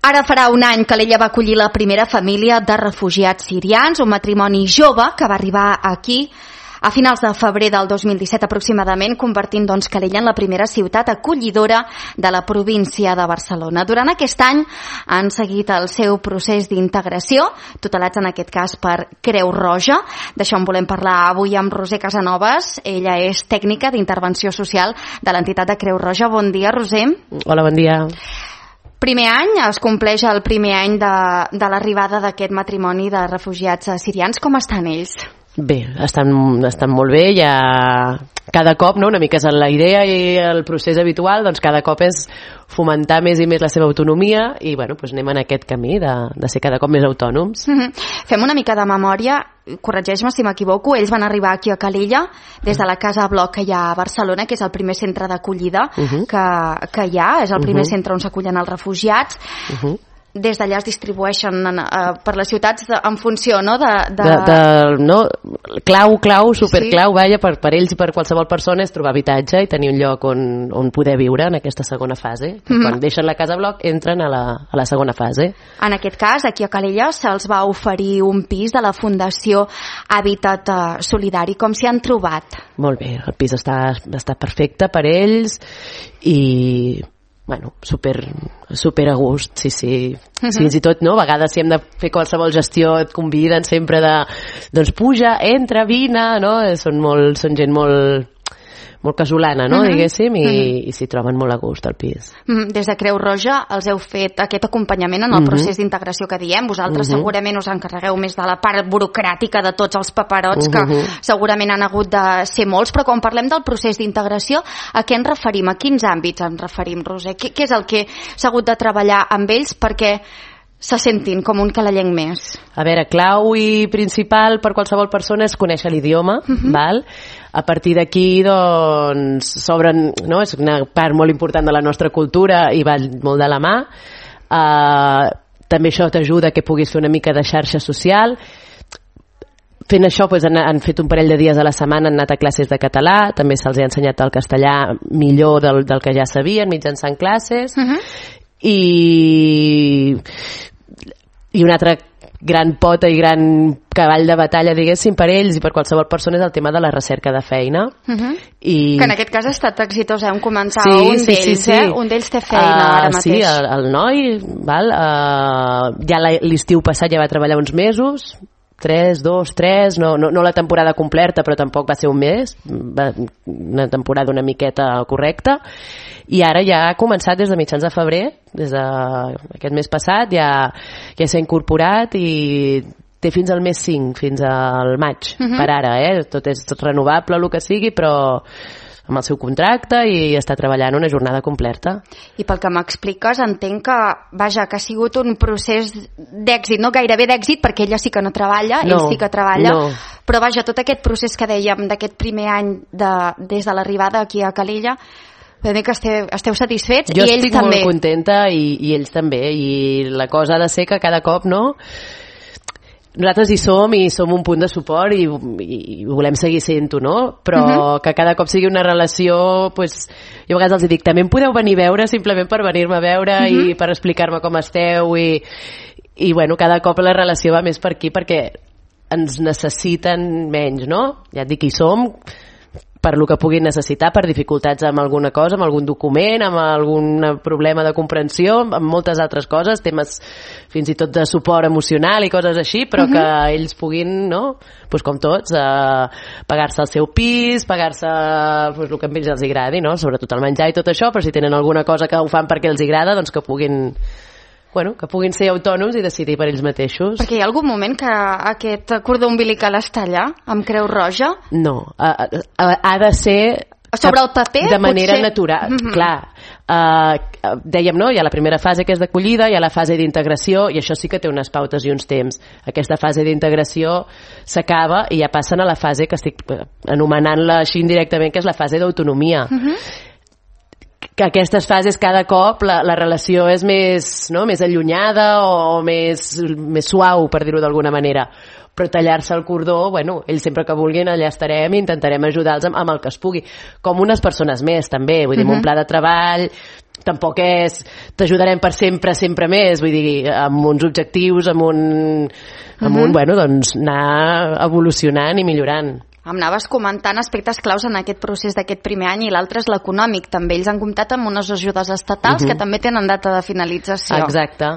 Ara farà un any que l'Ella va acollir la primera família de refugiats sirians, un matrimoni jove que va arribar aquí a finals de febrer del 2017 aproximadament, convertint Calella en la primera ciutat acollidora de la província de Barcelona. Durant aquest any han seguit el seu procés d'integració, tutelats en aquest cas per Creu Roja. D'això en volem parlar avui amb Roser Casanovas. Ella és tècnica d'intervenció social de l'entitat de Creu Roja. Bon dia, Roser. Hola, bon dia. Primer any, es compleix el primer any de l'arribada d'aquest matrimoni de refugiats sirians. Com estan ells? Bé, estan molt bé, ja cada cop, no? Una mica és la idea i el procés habitual, doncs cada cop és fomentar més i més la seva autonomia i anem en aquest camí de ser cada cop més autònoms. Fem una mica de memòria, corregeix-me si m'equivoco, ells van arribar aquí a Calella des de la Casa Bloc que hi ha a Barcelona, que és el primer centre d'acollida que hi ha, és el primer centre on s'acullen els refugiats. Des d'allà es distribueixen per les ciutats en funció, no? Clau, superclau, per ells i per qualsevol persona és trobar habitatge i tenir un lloc on poder viure en aquesta segona fase. Quan deixen la Casa Bloc entren a la segona fase. En aquest cas, aquí a Calella se'ls va oferir un pis de la Fundació Hàbitat Solidari. Com s'hi han trobat? Molt bé, el pis està perfecte per ells i super a gust, sí. Fins i tot, no? A vegades si hem de fer qualsevol gestió et conviden sempre doncs puja, entra, vine, no? Són gent molt casolana, no? Diguéssim, i s'hi troben molt a gust al pis. Des de Creu Roja els heu fet aquest acompanyament en el procés d'integració que diem. Vosaltres segurament us encarregueu més de la part burocràtica de tots els paperots, que segurament han hagut de ser molts, però quan parlem del procés d'integració, a què ens referim? A quins àmbits ens referim, Roser? Què és el que s'ha hagut de treballar amb ells perquè se sentin com un calellenc més? A veure, clau i principal per qualsevol persona és conèixer l'idioma, val? A partir d'aquí, doncs, s'obren, no? És una part molt important de la nostra cultura i va molt de la mà. També això t'ajuda que puguis fer una mica de xarxa social. Fent això, han fet un parell de dies a la setmana, han anat a classes de català, també se'ls ha ensenyat el castellà millor del que ja sabien, mitjançant classes. I una altra gran pota i gran cavall de batalla, diguéssim, per ells i per qualsevol persona és el tema de la recerca de feina. Que en aquest cas ha estat exitós, hem començat un d'ells, un d'ells té feina ara mateix. Sí, el noi, ja l'estiu passat ja va treballar uns mesos, 3, no la temporada completa, però tampoc va ser un mes, una temporada una miqueta correcta, i ara ja ha començat des de mitjans de febrer, des d'aquest mes passat, ja s'ha incorporat i té fins al mes 5, fins al maig, per ara, tot és renovable, el que sigui, però amb el seu contracte i està treballant una jornada completa. I pel que m'expliques entenc que, que ha sigut un procés d'èxit, no gairebé d'èxit, perquè ella sí que no treballa, ell sí que treballa, però tot aquest procés que dèiem d'aquest primer any des de l'arribada aquí a Calella, que esteu satisfets i ells també. Jo estic molt contenta i ells també, i la cosa ha de ser que cada cop, no? Nosaltres hi som un punt de suport i volem seguir sent-ho, no? Però que cada cop sigui una relació, jo a vegades els dic, també em podeu venir a veure simplement per venir-me a veure i per explicar-me com esteu i cada cop la relació va més per aquí perquè ens necessiten menys, no? Ja et dic, hi som per lo que puguin necessitar, per dificultats amb alguna cosa, amb algun document, amb algun problema de comprensió, amb moltes altres coses, temes fins i tot de suport emocional i coses així, però que ells puguin, no? Com tots, pagar-se el seu pis, pagar-se el que a ells els agradi, no? Sobretot el menjar i tot això, però si tenen alguna cosa que ho fan perquè els agrada, doncs que puguin ser autònoms i decidir per ells mateixos. Perquè hi ha algun moment que aquest cordó umbilical està allà, amb Creu Roja? No, ha de ser sobre el paper, de manera natural. Clar, dèiem, no? Hi ha la primera fase que és d'acollida, hi ha la fase d'integració i això sí que té unes pautes i uns temps. Aquesta fase d'integració s'acaba i ja passen a la fase que estic anomenant-la així indirectament, que és la fase d'autonomia. Que aquestes fases cada cop la relació és més allunyada o més suau, per dir-ho d'alguna manera, però tallar-se el cordó, ells sempre que vulguin allà estarem i intentarem ajudar-los amb el que es pugui, com unes persones més també, vull dir, un pla de treball tampoc és t'ajudarem per sempre, sempre més, vull dir, amb uns objectius, amb un bueno, doncs anar evolucionant i millorant. Em anaves comentant aspectes claus en aquest procés d'aquest primer any, i l'altre és l'econòmic. També ells han comptat amb unes ajudes estatals que també tenen data de finalització. Exacte.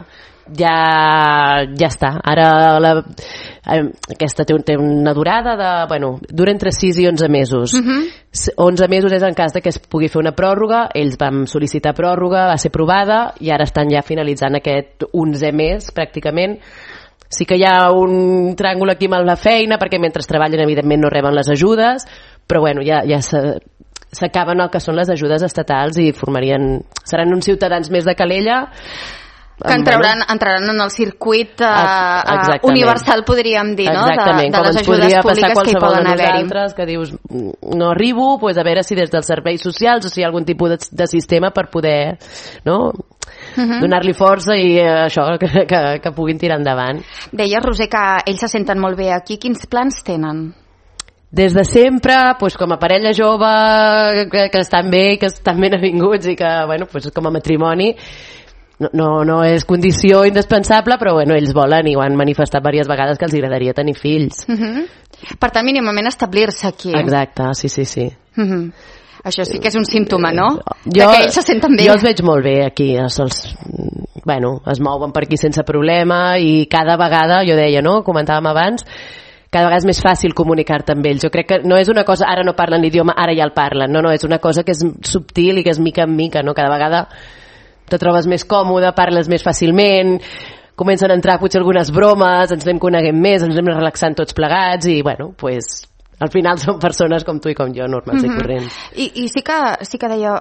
Ja està. Ara aquesta té una durada de... Bueno, dura entre 6 i 11 mesos. 11 mesos és en cas de que es pugui fer una pròrroga. Ells vam sol·licitar pròrroga, va ser aprovada, i ara estan ja finalitzant aquest 11è mes, pràcticament. Sí que hi ha un tràngol aquí amb la feina, perquè mentre treballen evidentment no reben les ajudes, però bueno, ja s'acaben el que són les ajudes estatals i seran uns ciutadans més de Calella que entraran en el circuit universal, podríem dir, no? De les ajudes públiques que hi poden haver-hi. Que dius, no arribo, doncs a veure si des dels serveis socials o si hi ha algun tipus de sistema per poder, no?, donar-li força i això, que puguin tirar endavant. Deies, Roser, que ells se senten molt bé aquí. Quins plans tenen? Des de sempre, doncs, com a parella jove, que estan bé, que estan ben avinguts i que, bueno, doncs, com a matrimoni, no és condició indispensable, però bueno, ells volen i ho han manifestat diverses vegades que els agradaria tenir fills. Per tant, mínimament establir-se aquí. Exacte, sí. Això sí que és un símptoma, no? Que ells se senten bé. Jo els veig molt bé aquí, es mouen per aquí sense problema, i cada vegada, jo deia, no?, comentàvem abans, cada vegada és més fàcil comunicar-te amb ells. Jo crec que no és una cosa, ara no parlen l'idioma, ara ja el parlen, no, és una cosa que és subtil i que és mica en mica, no? Cada vegada te trobes més còmode, parles més fàcilment, comencen a entrar potser algunes bromes, ens anem coneguent més, ens anem relaxant tots plegats, i bueno, pues al final són persones com tu i com jo, normals i corrents. I sí que deia,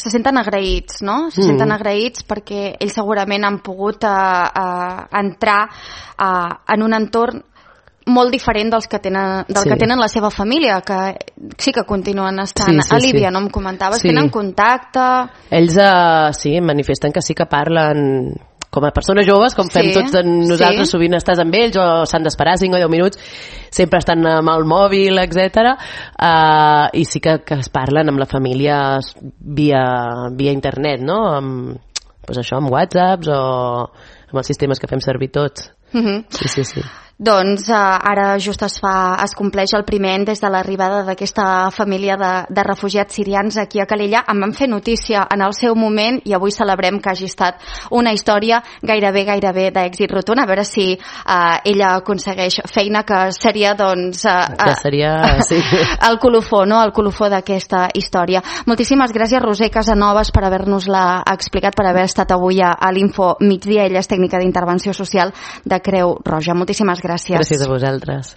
se senten agraïts, no? Se senten agraïts perquè ells segurament han pogut entrar en un entorn molt diferent que tenen la seva família, que sí que continuen estant a Líbia, no em comentaves? Tenen contacte? Ells manifesten que sí que parlen com a persones joves, com fem tots nosaltres, sovint estàs amb ells o s'han d'esperar 5 o 10 minuts, sempre estan amb el mòbil, etc. I sí que es parlen amb la família via internet, no? Amb whatsapps o amb els sistemes que fem servir tots. Sí. Doncs ara just es compleix el primer any des de l'arribada d'aquesta família de refugiats sirians aquí a Calella. En vam fer notícia en el seu moment i avui celebrem que hagi estat una història gairebé d'èxit rotund. A veure si ella aconsegueix feina, que seria el colofó, no? El colofó d'aquesta història. Moltíssimes gràcies, Roser Casanovas, per haver-nos-la explicat, per haver estat avui a l'Info Migdia. Ella és tècnica d'intervenció social de Creu Roja. Moltíssimes gràcies. Gràcies a vosaltres.